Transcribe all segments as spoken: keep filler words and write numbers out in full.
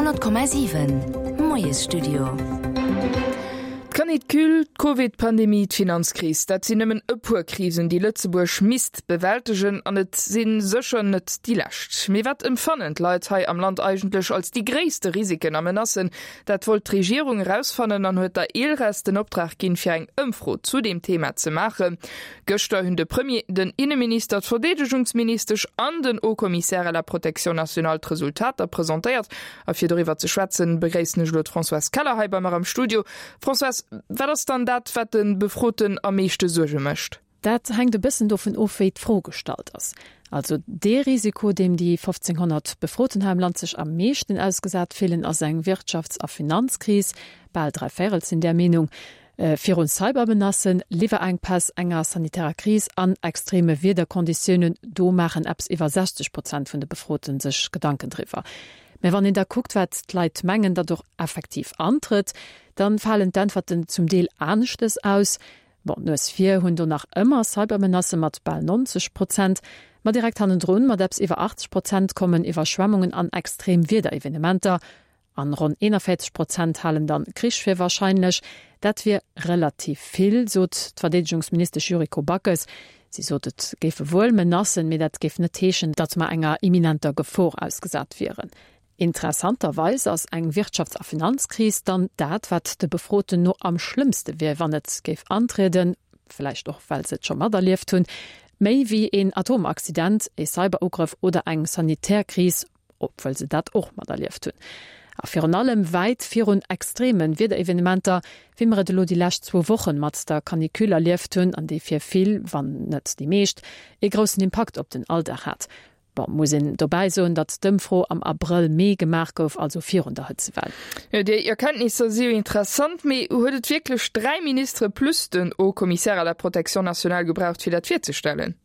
Honnert Komma siwen, Moiesstudio. D'Canicule, d'Covid-Pandemie, d'Finanzkris, dat sinn nëmmen e puer Krisen, déi Lëtzebuerg misst bewältegen, an et si sécher net déi lescht. Mee wat empfannen d'Leit hei am Land eigentlech als déi gréisste Risiken a Menacen? Dat wollt d'Regierung erausfannen an huet der ILReS den Optrag ginn, fir eng Ëmfro zu deem Thema ze maachen. Gëschter hunn de Premier, den Inneminister, d'Verdeedegungsministesch an den Haut Commissaire à la protection nationale d'Resultater presentéiert. A fir doriwwer ze schwätzen, begréissen ech elo d'Françoise Keller hei bei mer am Studio. Françoise, wat ass dann dat, wat de Befroten am meeschte Suerge mécht? Dat hänkt e bëssen dovun of, wéi d'Fro gestallt ass. Also dee Risiko, deem déi fofzénghonnert Befroten hei am Land sech am meeschten ausgesat fillen, ass eng Wirtschafts a Finanzkris, bal dräi Véirel sinn där Meenung. Virun Cybermenacen, Liwwerenkpäss, enger sanitärer Kris an extreme Wiederkonditiounen, do maachen eppes iwwer sechzeg Prozent vun de Befroten sech Gedanken driwwer. Mä wann een da kuckt, wat d'Leit mengen, datt och effektiv antrëtt, da falen d'Äntwerten zum Deel aneschtes aus. Bon, d'Nues vir hunn do nach ëmmer Cybermenacë mat bal neunzeg Prozent, ma direkt hannendrun mat eppes iwwer achtzeg Prozent kommen Iwwerschwemmungen an extrem Wiederevenementer. An ronn eenanvéierzeg Prozent halen dann Krich fir wahrscheinlech. Dat wier relativ vill, sot d'Verdeedegungsministesch Yuriko Backes. Si sot, et géife wuel Menacen, mee dat géif net heeschen, datt mer enger imminenter Gefor ausgesat wieren. Interessanterweis ass eng Wirtschafts a Finanzkris dann dat, wat de Befroten no am schlëmmste wier, wann et géif antrieden, vläicht och well se et scho materlieft hunn, méi wéi een Atomaccident, ee Cyberugrëff oder eng sanitär Kris, obwuel se dat och materlieft hunn. A virun allem wäit virun extreme Wiederevenementer, wéi mer et elo déi lescht zwou Wochen mat der Canicule erlieft hunn an déi fir vill, wann net déi meescht, ee groussen Impakt op den Alldag hat. Bon, muss een dobäi soen, datt d'Ëmfro am Abrëll, Mee gemaach gouf, also virun der Hëtzewell. Jo, déi Erkenntnisser si jo interessant, mee huet et wierklech dräi Ministere plus den Haut Commissaire à la protection nationale gebraucht, fir dat virzestellen?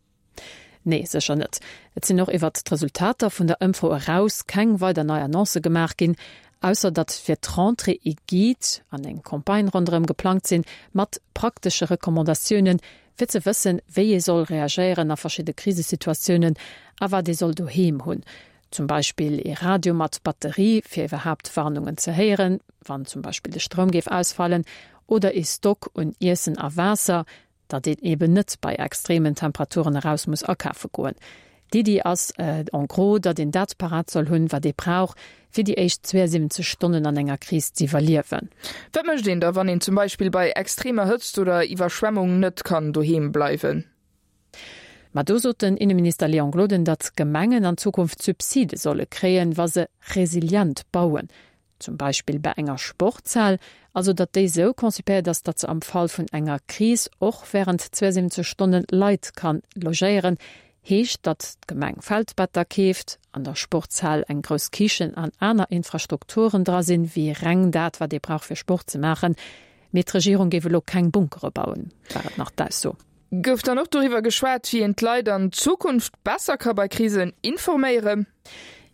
Nee, sécher net. Et sinn och iwwert d'Resultater vun der Ëmfro eraus keng weider nei Annoncë gemaach ginn, ausser datt fir d'Rentrée ee Guide an eng Campagne ronderëm geplangt sinn, mat praktesche Recommandatiounen, fir ze wëssen, wéi ee soll reagéieren a verschidde Krisesituatiounen a wat ee soll doheem hunn. Zum Beispill ee Radio mat Batterie, fir iwwerhaapt Warnungen ze héieren, wann zum Beispill de Stroum géif ausfallen, oder ee Stock un Iessen a Waasser, datt een eben net bei extremen Temperaturen eraus muss akafe goen. D'Iddi ass en gros, datt een dat parat soll hunn, wat ee brauch, fir déi éischt zweeënsiwwenzeg Stonnen an enger Kris z'iwwerliewen. Wat mécht een da, wann een zum Beispill bei extremer Hëtzt oder Iwwerschwemmung net kann doheem bleiwen? Ma do sot den Inneminister Léon Gloden, datt d'Gemengen an Zukunft Subside solle kréien, wa se resilient bauen. Zum Beispill bei enger Sportshal, also datt déi esou konzipéiert ass, datt se am Fall vun enger Kris och wärend zweeënsiwwenzeg Stonne Leit kann logéieren. Heescht, datt d'Gemeng Feldbetter keeft, an der Sportshal eng grouss Kichen an aner Infrastrukturen dra sinn, wéi reng dat, wat ee brauch fir Sport ze maachen. Mee d'Regierung géif elo keng Bunkere bauen, war et nach d'Ausso. Gouf dann och doriwwer geschwat, wéi een d'Leit an Zukunft besser ka bei Krisen informéieren?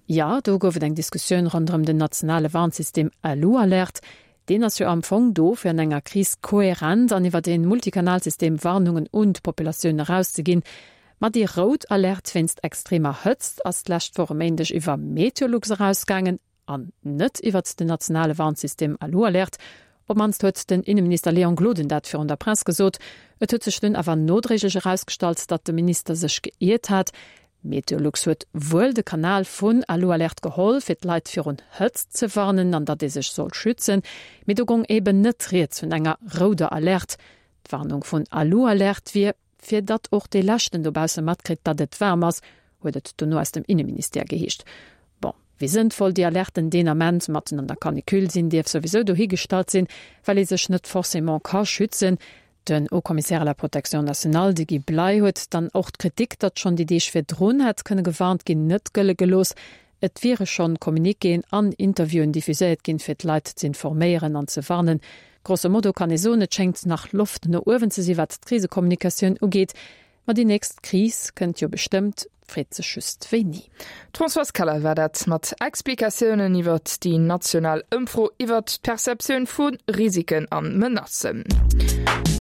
Jo, do gouf et eng Diskussioun ronderëm den nationale Warnsystem Alu-Alert. Deen ass jo am Fong do, fir an enger Kris kohärent an iwwer een Multikanalsystem Warnungen un d'Populatioun erauszeginn. Ma déi rout Alerte wéinst extremer Hëtzt ass d'lescht Woch e Méindeg iwwer Meteolux erausgaangen an net iwwert den nationale Warnsystem Alu-Alert. Op d'mannst huet den Inneminister Léon Gloden dat virun der Press gesot. Et huet sech dunn awer nodréiglech erausgestallt, datt de Minister sech geiert hat. Meteolux huet wuel de Kanal vun Alu-Alert geholl, fir d'Leit virun Hëtzt ze warnen an datt ee sech soll schützen, mee do gong eben net rieds vun enger rouder Alerte. D'Warnung vun Alu-Alert wier, fir datt och dee Leschten dobausse matkritt, datt et waarm ass, huet et dono aus dem Inneministère geheescht. Bon, wéi sënnvoll déi Alerten deen Ament matten an der Canicule sinn, dierf souwisou dohigestallt sinn, well ee sech net forcément ka schützen. Den Haut Commissaire à la protection nationale, de Guy Bley, huet dann och d'Kritik, datt schonn déi Deeg virdrun hätt kënne gewarnt ginn, net gëlle gelooss. Et wiere schonn Communiquéen an Interviewen diffuséiert ginn, fir d'Leit z'informéieren an ze warnen. Grosso modo kann ee soen, et schéngt nach Loft no uewen ze si wat d'Krisekommunikatioun ugeet. Ma déi nächst Kris kënnt jo bestëmmt, freet sech just wéini. D'Françoise Keller war dat mat Explikatiounen iwwert déi national Ëmfro iwwert d'Perceptioun vu Risiken a Menacen.